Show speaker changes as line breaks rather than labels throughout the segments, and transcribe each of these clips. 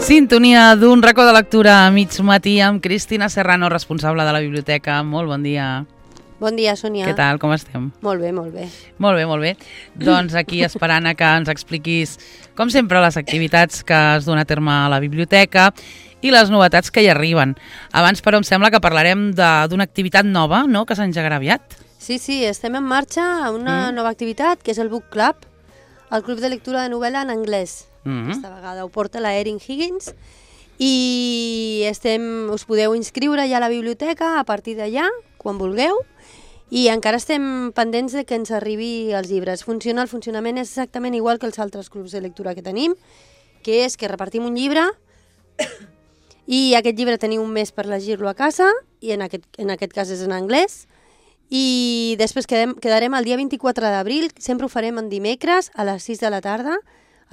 Sintonia d'un racó de lectura a mig matí amb Cristina Serrano, responsable de la biblioteca. Molt bon dia.
Bon dia, Sònia.
Què tal, com estem?
Molt bé, molt bé.
Molt bé, molt bé. Doncs aquí esperant a que ens expliquis, com sempre, les activitats que es duen a terme a la biblioteca i les novetats que hi arriben. Abans, però, em sembla que parlarem d'una activitat nova, no?, que s'engegarà aviat.
Sí, estem en marxa a una nova activitat, que és el Book Club, el club de lectura de novel·la en anglès. Aquesta vegada ho porta la Erin Higgins i us podeu inscriure ja a la biblioteca a partir d'allà, quan vulgueu, i encara estem pendents de que ens arribi els llibres. El funcionament és exactament igual que els altres clubs de lectura que tenim, que és que repartim un llibre i aquest llibre teniu un mes per llegir-lo a casa, i en aquest cas és en anglès, i després quedarem el dia 24 d'abril, sempre ho farem en dimecres a les 6 de la tarda,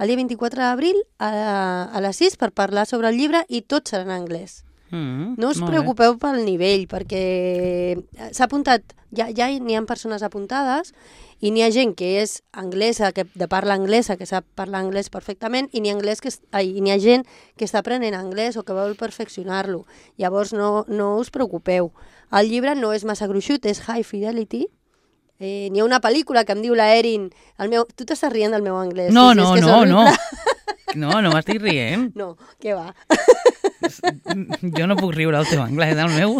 el dia 24 d'abril a les 6 per parlar sobre el llibre i tot serà en anglès. No us preocupeu pel nivell, perquè s'ha apuntat, ja n'hi ha persones apuntades i n'hi ha gent que és anglesa, de parla anglesa, que sap parlar anglès perfectament, i n'hi ha gent que està aprenent anglès o que vol perfeccionar-lo. Llavors no us preocupeu. El llibre no és massa gruixut, és high fidelity. N'hi ha una pel·lícula que em diu la Erin... Tu t'estàs rient del meu anglès.
No. No m'estic rient.
No, què va?
Jo no puc riure del teu anglès, el meu.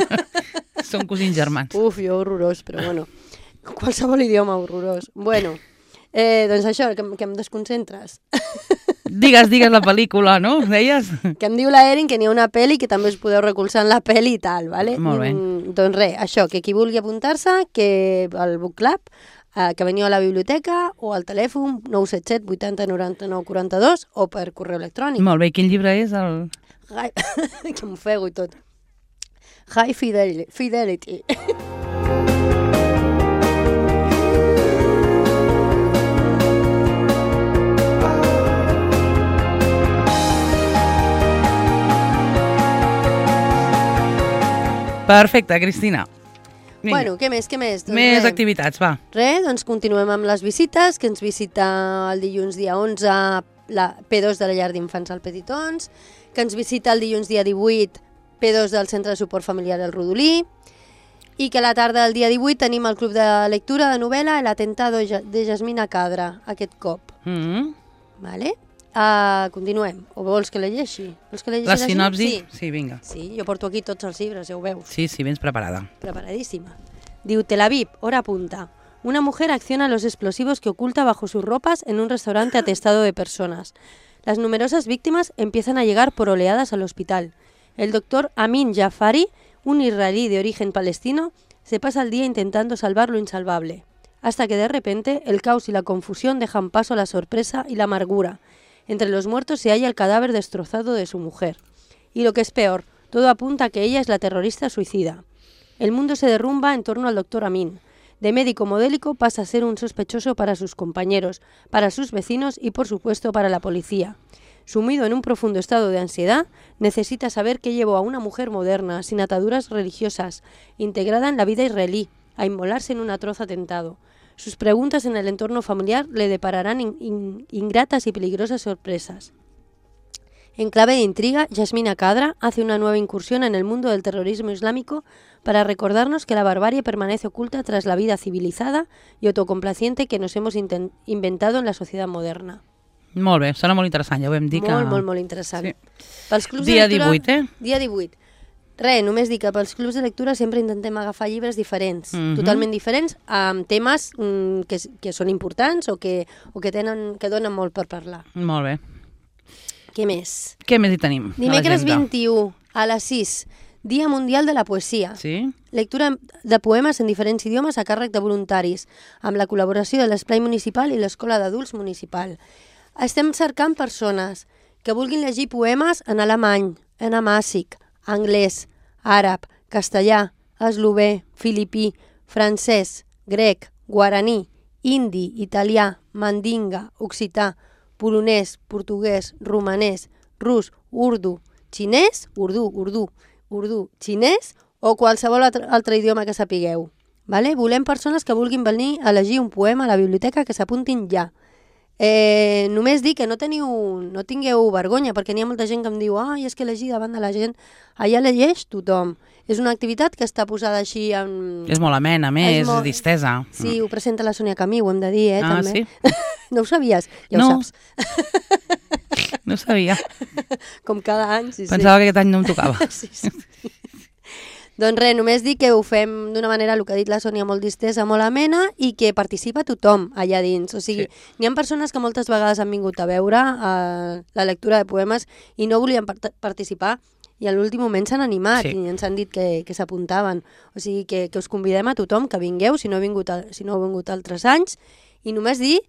Som cosins germans.
Uf, jo horrorós, però bueno. Qualsevol idioma horrorós. Bueno, doncs això, que em desconcentres.
Digues la pel·lícula, no? Deies?
Que em diu la Erin que n'hi ha una pel·li que també us podeu recolzar en la pel·li i tal, vale?
Molt bé.
Doncs res, això, que qui vulgui apuntar-se, que al Book Club, que veniu a la biblioteca o al telèfon 977 80 99 42 o per correu electrònic.
Molt bé, quin llibre és el...?
Que m'ofego i tot. High Fidelity.
Perfecte, Cristina. Vinga.
Bueno, què més? Doncs
més activitats, va.
Doncs continuem amb les visites, que ens visita el dilluns dia 11 la P2 de la llar d'infants al Petitons, que ens visita el dilluns dia 18 P2 del Centre de Suport Familiar al Rodolí, i que a la tarda del dia 18 tenim el Club de Lectura de Novel·la El Atentado de Jasmina Cadra, aquest cop. Vale? Continuem. O vols que llegeixi?
La sinopsi? Sí, vinga.
Sí, jo porto aquí tots els llibres, ja ho veus.
Sí, vens preparada.
Preparadísima. Diu, Tel Aviv, hora punta. Una mujer acciona los explosivos que oculta bajo sus ropas en un restaurante atestado de personas. Las numerosas víctimas empiezan a llegar por oleadas al hospital. El doctor Amin Jafari, un israelí de origen palestino, se pasa el día intentando salvar lo insalvable. Hasta que de repente el caos y la confusión dejan paso a la sorpresa y la amargura. Entre los muertos se halla el cadáver destrozado de su mujer. Y lo que es peor, todo apunta a que ella es la terrorista suicida. El mundo se derrumba en torno al doctor Amin. De médico modélico pasa a ser un sospechoso para sus compañeros, para sus vecinos y, por supuesto, para la policía. Sumido en un profundo estado de ansiedad, necesita saber qué llevó a una mujer moderna, sin ataduras religiosas, integrada en la vida israelí, a inmolarse en un atroz atentado. Sus preguntas en el entorno familiar le depararán ingratas y peligrosas sorpresas. En clave de intriga, Jasmina Cadra hace una nueva incursión en el mundo del terrorismo islámico para recordarnos que la barbarie permanece oculta tras la vida civilizada y autocomplaciente que nos hemos inventado en la sociedad moderna.
Molt bé, sona molt interessant, ja ho vam dir que...
Molt interessant.
Sí.
Pels clubs
dia
de lectura,
18,
Dia 18. Només dic que pels clubs de lectura sempre intentem agafar llibres diferents, totalment diferents, amb temes que són importants o que donen molt per parlar.
Molt bé.
Què més?
Què més hi tenim?
Dimecres 21, a les 6, Dia Mundial de la Poesia.
Sí?
Lectura de poemes en diferents idiomes a càrrec de voluntaris, amb la col·laboració de l'Esplai Municipal i l'Escola d'Adults Municipal. Estem cercant persones que vulguin llegir poemes en alemany, en amàssic, anglès, àrab, castellà, eslové, filipí, francès, grec, guaraní, hindi, italià, mandinga, occità, polonès, portuguès, romanès, rus, urdu, xinès, urdu, xinès o qualsevol altre idioma que sapigueu. Vale? Volem persones que vulguin venir a llegir un poema a la biblioteca que s'apuntin ja. Només dir que no tingueu vergonya, perquè n'hi ha molta gent que em diu és que llegir davant de la gent, allà llegeix tothom. És una activitat que està posada així en...
És molt amena, més, distesa.
Sí, ho presenta la Sònia Camí, ho hem de dir, també.
Sí?
No ho sabies? Ja ho saps.
No ho sabia.
Com cada any, sí.
Pensava que aquest any no em tocava.
Sí. Doncs res, només dir que ho fem d'una manera, el que ha dit la Sònia, molt distesa, molt amena, i que participa tothom allà dins. O sigui, n'hi ha persones que moltes vegades han vingut a veure la lectura de poemes i no volien participar, i a l'últim moment s'han animat i ens han dit que s'apuntaven. O sigui, que us convidem a tothom que vingueu, si no heu vingut altres anys, i només dir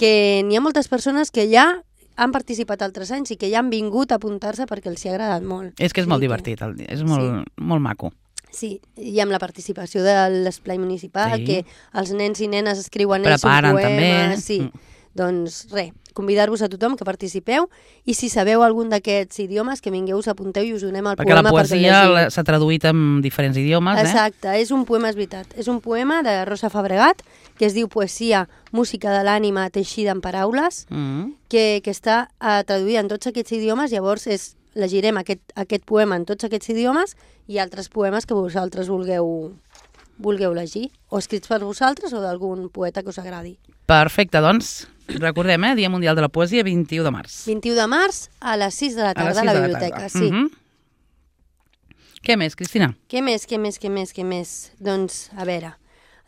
que n'hi ha moltes persones que ja han participat altres anys i que ja han vingut a apuntar-se perquè els hi ha agradat molt.
És que és molt divertit, és molt maco.
Sí, i amb la participació de l'esplai municipal, que els nens i nenes escriuen ells un poema.
Preparen també.
Sí, doncs res, convidar-vos a tothom que participeu, i si sabeu algun d'aquests idiomes, que vingueu, us apunteu i us donem el
perquè
poema.
Perquè la poesia s'ha traduït en diferents idiomes.
Exacte, és un poema, és veritat. És un poema de Rosa Fabregat, que es diu Poesia, música de l'ànima teixida en paraules, que està traduïda en tots aquests idiomes. Llavors llegirem aquest poema en tots aquests idiomes i altres poemes que vosaltres vulgueu llegir, o escrits per vosaltres o d'algun poeta que us agradi.
Perfecte, doncs recordem, Dia Mundial de la Poesia, 21 de març.
21 de març a les 6 de la tarda a la biblioteca, sí.
Què més, Cristina?
Què més? Doncs, a veure,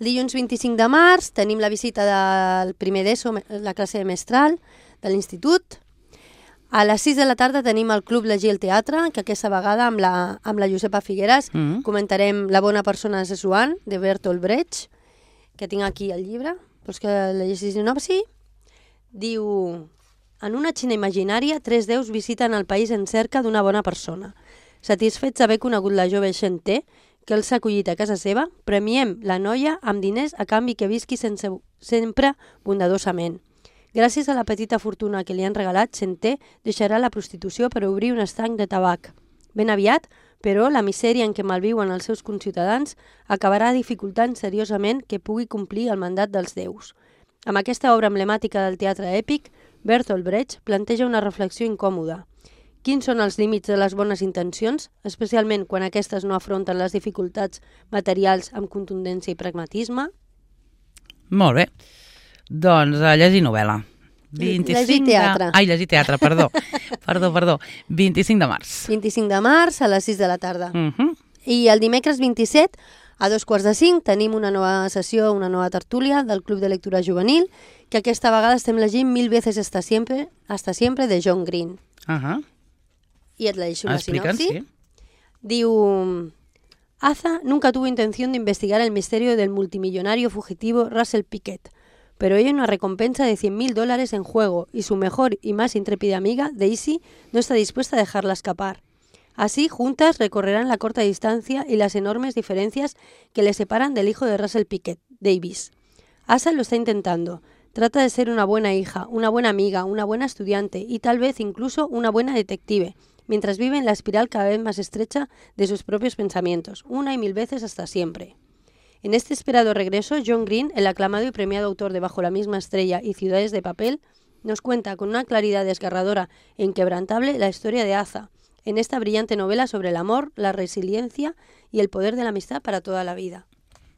el dilluns 25 de març tenim la visita del primer d'ESO, la classe de mestral de l'institut. A les 6 de la tarda tenim el Club Llegir el Teatre, que aquesta vegada amb la Josepa Figueras comentarem La bona persona de Sessuan, de Bertolt Brecht, que tinc aquí el llibre, vols que la llegis de nou? Sí. Diu: en una Xina imaginària, 3 déus visiten el país en cerca d'una bona persona. Satisfets d'haver conegut la jove Xenté, que els ha acollit a casa seva, premiem la noia amb diners a canvi que visqui sempre bondadosament. Gràcies a la petita fortuna que li han regalat, Xenté deixarà la prostitució per obrir un estanc de tabac. Ben aviat, però, la misèria en què malviuen els seus conciutadans acabarà dificultant seriosament que pugui complir el mandat dels déus. Amb aquesta obra emblemàtica del teatre èpic, Bertolt Brecht planteja una reflexió incòmoda. Quins són els límits de les bones intencions, especialment quan aquestes no afronten les dificultats materials amb contundència i pragmatisme?
Molt bé. Doncs llegir novel·la.
Llegir teatre.
Llegir teatre, perdó. Perdó. 25 de març.
25 de març a les 6 de la tarda. I el dimecres 27, a 4:45, tenim una nova sessió, una nova tertúlia del Club de Lectura Juvenil, que aquesta vegada estem llegint Mil veces hasta siempre, de John Green. I et llegeixo una sinopsi. Diu: Aza nunca tuvo intención de investigar el misterio del multimillonario fugitivo Russell Pickett, pero hay una recompensa de $100,000 en juego y su mejor y más intrépida amiga, Daisy, no está dispuesta a dejarla escapar. Así, juntas recorrerán la corta distancia y las enormes diferencias que le separan del hijo de Russell Pickett, Davis. Asa lo está intentando. Trata de ser una buena hija, una buena amiga, una buena estudiante y tal vez incluso una buena detective, mientras vive en la espiral cada vez más estrecha de sus propios pensamientos, una y mil veces hasta siempre. En este esperado regreso, John Green, el aclamado y premiado autor de Bajo la misma estrella y Ciudades de papel, nos cuenta con una claridad desgarradora e inquebrantable la historia de Aza, en esta brillante novela sobre el amor, la resiliencia y el poder de la amistad para toda la vida.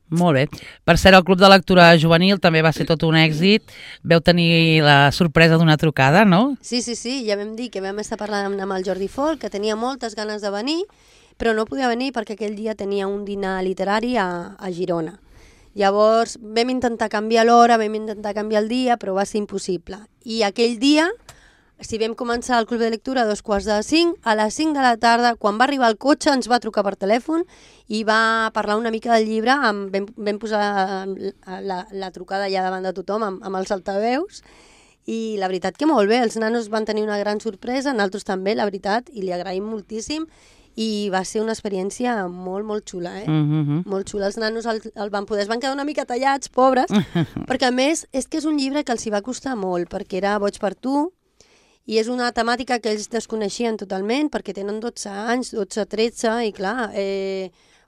Molt bé. Per cert, el Club de Lectura Juvenil també va ser tot un èxit. Veu tenir la sorpresa d'una trucada, no?
Sí, ja vam dir que vam estar parlant amb el Jordi Folk, que tenia moltes ganes de venir, però no podia venir perquè aquell dia tenia un dinar literari a Girona. Llavors vam intentar canviar l'hora, vam intentar canviar el dia, però va ser impossible. I aquell dia, si vam començar el club de lectura a 4:45, a les 5 de la tarda, quan va arribar el cotxe, ens va trucar per telèfon i va parlar una mica del llibre, vam posar la trucada allà davant de tothom amb els altaveus, i la veritat que molt bé, els nanos van tenir una gran sorpresa, nosaltres també, la veritat, i li agraïm moltíssim, i va ser una experiència molt, molt xula, molt xula. Els nanos el van poder, es van quedar una mica tallats, pobres, perquè a més és que és un llibre que els hi va costar molt, perquè era Boig per tu, i és una temàtica que ells desconeixien totalment, perquè tenen 12 anys, 12-13, i clar,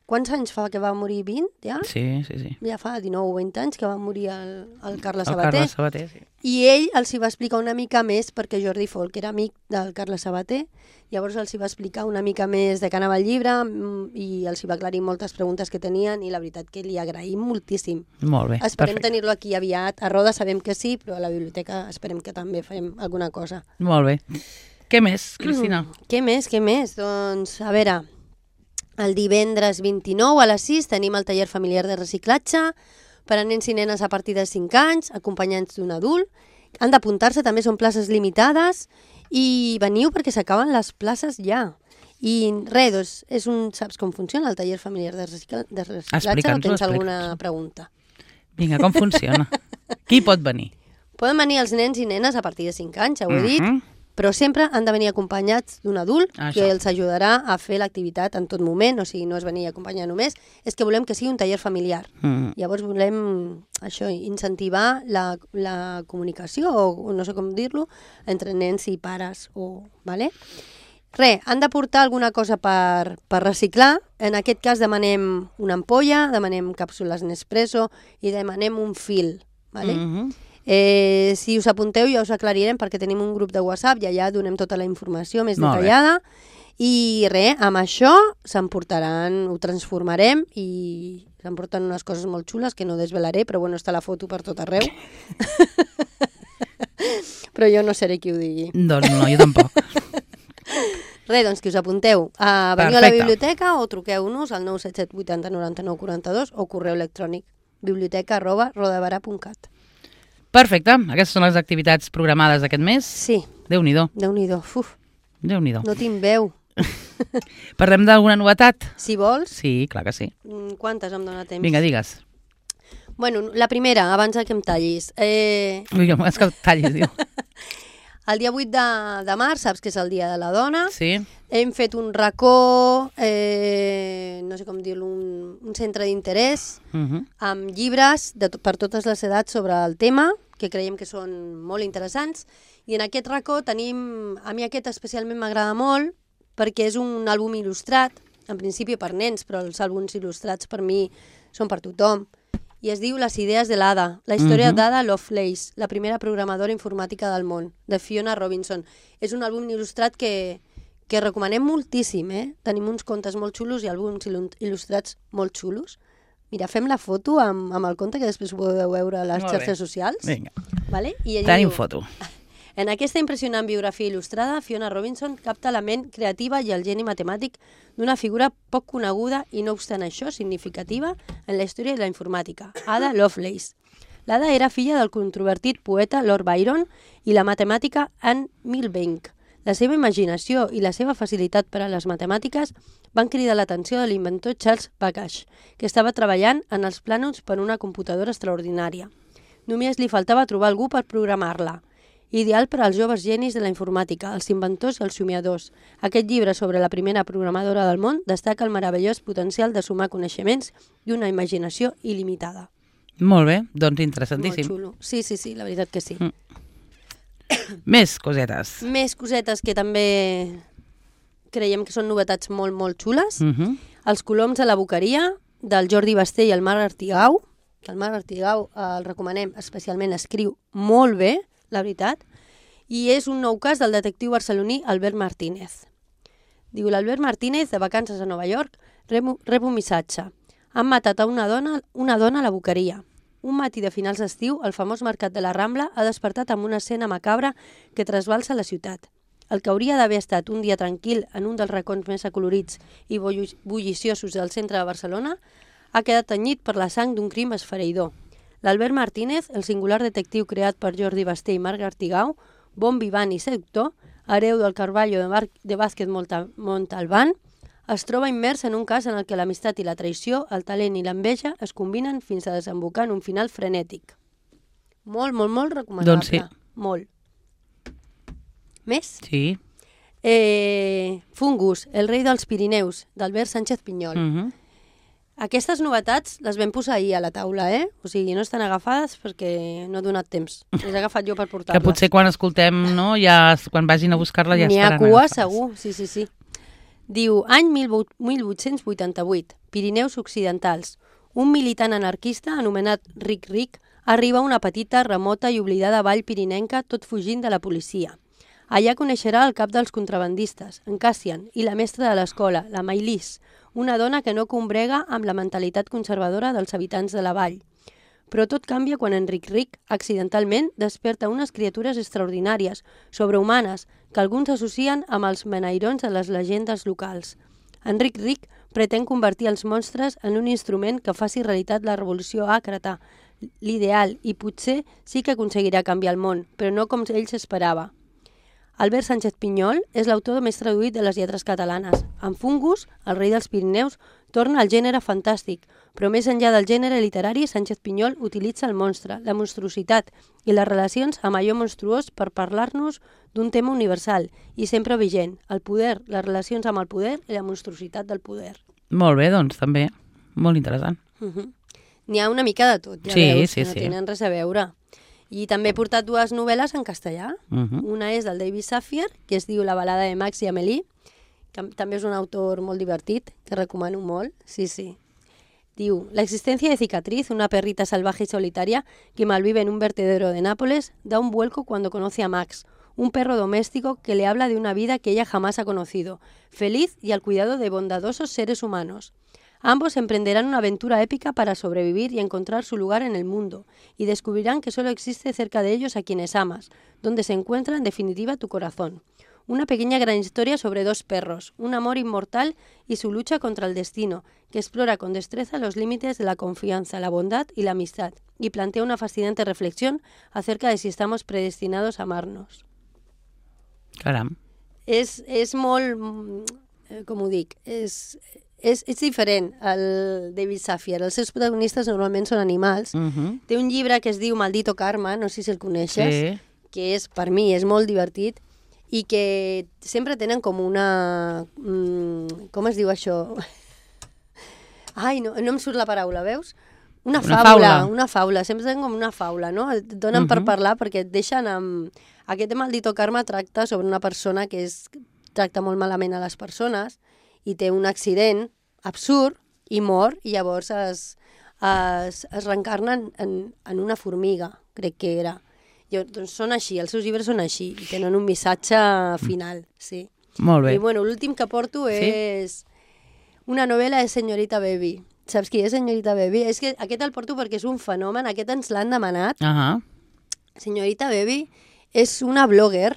Quants anys fa que va morir? 20, ja?
Sí.
Ja fa 19 o 20 anys que va morir el Carles
El
Sabater.
Carles Sabater, sí.
I ell els hi va explicar una mica més, perquè Jordi Folk era amic del Carles Sabater, llavors els hi va explicar una mica més de què anava el llibre i els hi va aclarir moltes preguntes que tenien i la veritat que li agraïm moltíssim.
Molt bé,
Esperem tenir-lo aquí aviat. A Roda sabem que sí, però a la biblioteca esperem que també fem alguna cosa.
Molt bé. Què més, Cristina?
Què més? Doncs, a veure, el divendres 29 a les 6 tenim el taller familiar de reciclatge per a nens i nenes a partir de 5 anys, acompanyants d'un adult. Han d'apuntar-se, també són places limitades i veniu perquè s'acaben les places ja. I res, doncs, saps com funciona el taller familiar de reciclatge o tens alguna pregunta?
Vinga, com funciona? Qui pot venir?
Poden venir els nens i nenes a partir de 5 anys, ja ho he dit, però sempre han de venir acompanyats d'un adult que els ajudarà a fer l'activitat en tot moment, o sigui, no és venir a acompanyar només, és que volem que sigui un taller familiar. Llavors volem incentivar la comunicació, o no sé com dir-lo, entre nens i pares. Vale? Han de portar alguna cosa per reciclar. En aquest cas demanem una ampolla, demanem càpsules Nespresso i demanem un fil. Vale? Si us apunteu ja us aclarirem perquè tenim un grup de WhatsApp i allà donem tota la informació més detallada i amb això s'emportaran, ho transformarem i s'emporten unes coses molt xules que no desvelaré, però bueno, està la foto per tot arreu. Però jo no seré qui ho digui.
Doncs no, jo tampoc.
Doncs que us apunteu. Veniu a la biblioteca o truqueu-nos al 977 80 99 42 o correu electrònic biblioteca@rodabara.cat.
Perfecte. Aquestes són les activitats programades d'aquest mes?
Sí.
Déu-n'hi-do.
Déu-n'hi-do.
Déu-n'hi-do.
No tinc veu.
Parlem d'alguna novetat?
Si vols.
Sí, clar que sí.
Quantes em dóna temps?
Vinga, digues.
Bueno, la primera, abans que em tallis.
Vinga, és que em tallis, diu.
El dia 8 de març, saps que és el Dia de la Dona.
Sí.
Hem fet un racó, no sé com dir-lo, un centre d'interès amb llibres per totes les edats sobre el tema, que creiem que són molt interessants. I en aquest racó tenim, a mi aquest especialment m'agrada molt, perquè és un àlbum il·lustrat, en principi per nens, però els àlbums il·lustrats per mi són per tothom. I es diu Les idees de l'Ada, la història d'Ada Lovelace, la primera programadora informàtica del món, de Fiona Robinson. És un àlbum il·lustrat que recomanem moltíssim, Tenim uns contes molt xulos i àlbums il·lustrats molt xulos. Mira, fem la foto amb el conte que després ho podeu veure a les xarxes socials.
Vinga,
tenim
foto.
En aquesta impressionant biografia il·lustrada, Fiona Robinson capta la ment creativa i el geni matemàtic d'una figura poc coneguda i no obstant això significativa en la història de la informàtica, Ada Lovelace. L'Ada era filla del controvertit poeta Lord Byron i la matemàtica Anne Milbank. La seva imaginació i la seva facilitat per a les matemàtiques van cridar l'atenció de l'inventor Charles Babbage, que estava treballant en els plànols per una computadora extraordinària. Només li faltava trobar algú per programar-la. Ideal per als joves genis de la informàtica, els inventors i els somiadors. Aquest llibre sobre la primera programadora del món destaca el meravellós potencial de sumar coneixements i una imaginació il·limitada.
Molt bé, doncs interessantíssim.
Molt xulo. Sí, la veritat que sí.
Més cosetes.
Més cosetes que també creiem que són novetats molt, molt xules. Els coloms a la boqueria, del Jordi Basté i el Marc Artigau. El Marc Artigau el recomanem especialment, escriu molt bé, la veritat, i és un nou cas del detectiu barceloní Albert Martínez. Diu, l'Albert Martínez, de vacances a Nova York, rep un missatge. Han matat a una dona a la boqueria. Un matí de finals d'estiu, el famós mercat de la Rambla ha despertat amb una escena macabra que trasbalsa la ciutat. El que hauria d'haver estat un dia tranquil en un dels racons més acolorits i bulliciosos del centre de Barcelona ha quedat tenyit per la sang d'un crim esfereïdor. L'Albert Martínez, el singular detectiu creat per Jordi Basté i Marc Artigau, bon vivant i seductor, hereu del Carballo de Vázquez Montalbán, es troba immers en un cas en el que l'amistat i la traïció, el talent i l'enveja es combinen fins a desembocar en un final frenètic. Molt, molt, molt recomanable.
Doncs sí.
Molt. Més?
Sí.
Fungus, el rei dels Pirineus, d'Albert Sánchez Pinyol. Aquestes novetats les vam posar ahir a la taula, O sigui, no estan agafades perquè no he donat temps. Les he agafat jo per portar-les.
Que potser quan escoltem, no? Ja, quan vagin a buscar-la ja estaran
agafades. N'hi ha cua,
agafades.
segur. Sí. Diu, any 1888, Pirineus Occidentals. Un militant anarquista anomenat Ric Ric arriba a una petita, remota i oblidada vall pirinenca tot fugint de la policia. Allà coneixerà el cap dels contrabandistes, en Cassian, i la mestra de l'escola, la Maïlis, una dona que no combrega amb la mentalitat conservadora dels habitants de la vall. Però tot canvia quan Enric Ric, accidentalment, desperta unes criatures extraordinàries, sobrehumanes, que alguns associen amb els menairons de les llegendes locals. Enric Ric pretén convertir els monstres en un instrument que faci realitat la revolució àcrata, l'ideal, i potser sí que aconseguirà canviar el món, però no com ell s'esperava. Albert Sánchez Pinyol és l'autor més traduït de les lletres catalanes. En Fungus, el rei dels Pirineus, torna al gènere fantàstic, però més enllà del gènere literari, Sánchez Pinyol utilitza el monstre, la monstruositat i les relacions amb allò monstruós per parlar-nos d'un tema universal i sempre vigent, el poder, les relacions amb el poder i la monstruositat del poder.
Molt bé, doncs, també. Molt interessant.
N'hi ha una mica de tot, ja
Sí,
veus,
sí,
que no
sí.
tenen res a veure. I també he portat dues novel·les en castellà. Una és del David Safier, que es diu La balada de Max i Amélie, que també és un autor molt divertit, que recomano molt. Sí, sí. Diu, la existencia de Cicatriz, una perrita salvaje y solitaria que malvive en un vertedero de Nápoles, da un vuelco cuando conoce a Max, un perro doméstico que le habla de una vida que ella jamás ha conocido, feliz y al cuidado de bondadosos seres humanos. Ambos emprenderán una aventura épica para sobrevivir y encontrar su lugar en el mundo, y descubrirán que solo existe cerca de ellos a quienes amas, donde se encuentra en definitiva tu corazón. Una pequeña gran historia sobre dos perros, un amor inmortal y su lucha contra el destino, que explora con destreza los límites de la confianza, la bondad y la amistad, y plantea una fascinante reflexión acerca de si estamos predestinados a amarnos.
Caram.
És molt, com ho dic, és diferent el David Safier. Els seus protagonistes normalment són animals. Té un llibre que es diu Maldito Karma, no sé si el coneixes, que és, per mi, és molt divertit i que sempre tenen com una... com es diu això? Ai, no em surt la paraula, veus? Una faula. Sempre tenen com una faula, no? Et donen per parlar perquè et deixen amb... Aquest Maldito Karma tracta sobre una persona que tracta molt malament a les persones i té un accident absurd i mor, i llavors es reencarna en una formiga, crec que era. Doncs són així, els seus llibres són així, i tenen un missatge final, sí.
Molt bé.
I bueno, l'últim que porto és una novel·la de Señorita Baby. Saps qui és Señorita Baby? És que aquest el porto perquè és un fenomen, aquest ens l'han demanat. Señorita Baby és una blogger,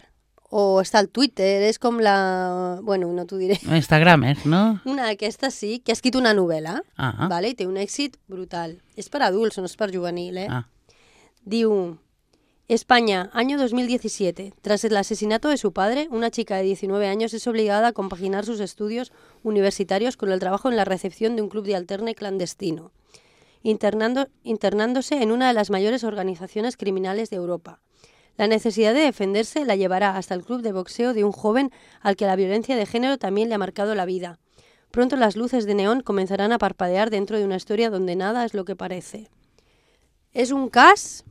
o està al Twitter, és com la... Bueno, no t'ho diré.
Instagramer, ¿no?
Una d'aquestes sí, que ha escrit una novel·la, ¿vale? I té un èxit brutal. És per adults, no és per juvenil, Diu, España, año 2017. Tras el asesinato de su padre, una chica de 19 años es obligada a compaginar sus estudios universitarios con el trabajo en la recepción de un club de alterne clandestino, internándose en una de las mayores organizaciones criminales de Europa. La necesidad de defenderse la llevará hasta el club de boxeo de un joven al que la violencia de género también le ha marcado la vida. Pronto las luces de neón comenzarán a parpadear dentro de una historia donde nada es lo que parece. És un cas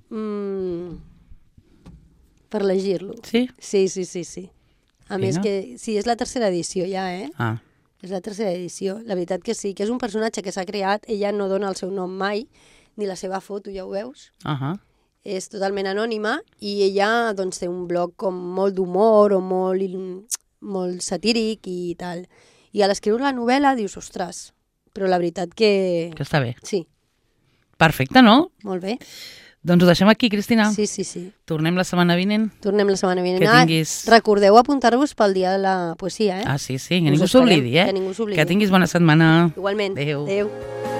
per llegir-lo.
Sí?
Sí. A més que... Sí, és la tercera edició ja, És la tercera edició. La veritat que sí, que és un personatge que s'ha creat, ella no dona el seu nom mai, ni la seva foto, ja ho veus? És totalment anònima i ella doncs, té un blog com molt d'humor o molt satíric i tal. I a l'escriure la novel·la dius, ostres, però la veritat que...
Que està bé.
Sí.
Perfecte, no?
Molt bé.
Doncs ho deixem aquí, Cristina.
Sí.
Tornem la setmana vinent.
Que tinguis... Recordeu apuntar-vos pel dia de la poesia,
sí, que ningú s'oblidi,
Que ningú s'oblidi.
Que tinguis bona setmana.
Igualment.
Adéu.
Adéu.